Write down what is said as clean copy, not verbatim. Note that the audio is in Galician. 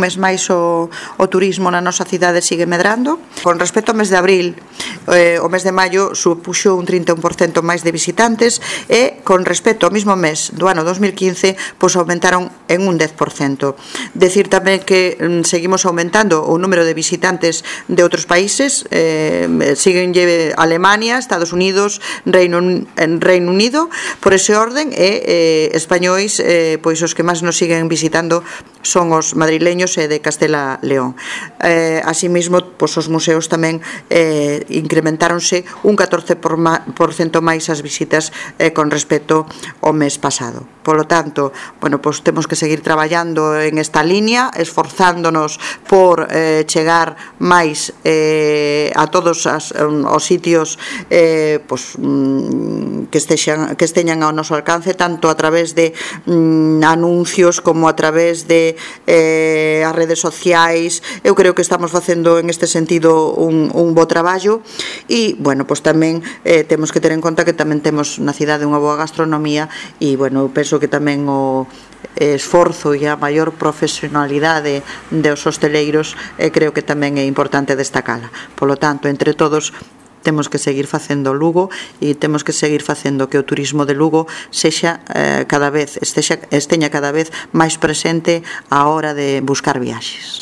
mes máis o turismo na nosa cidade sigue medrando. Con respecto ao mes de abril, o mes de maio supuxo un 31% máis de visitantes e con respecto ao mesmo mes do ano 2015 pois aumentaron en un 10%. Decir tamén que seguimos aumentando o número de visitantes de outros países, siguen Alemania, Estados Unidos, Reino Unido, por ese orden, e españois, pois os que máis nos siguen visitando son os madrileños e de Castela León. Así mesmo, pois os museos tamén incrementáronse un 14% máis as visitas con respecto ao mes pasado. Por lo tanto, bueno, pois temos que seguir traballando en esta línea, esforzándonos por chegar máis a todos os sitios pois, que esteñan ao noso alcance, tanto a través de anuncios como a través de as redes sociais. Eu creo que estamos facendo en este sentido un bo traballo e, bueno, pois tamén temos que ter en conta que tamén temos na cidade unha boa gastronomía e, bueno, eu penso que tamén o esforzo e a maior profesionalidade dos hosteleiros creo que tamén é importante destacala. Por lo tanto, entre todos temos que seguir facendo Lugo e temos que seguir facendo que o turismo de Lugo esteña cada vez máis presente á hora de buscar viaxes.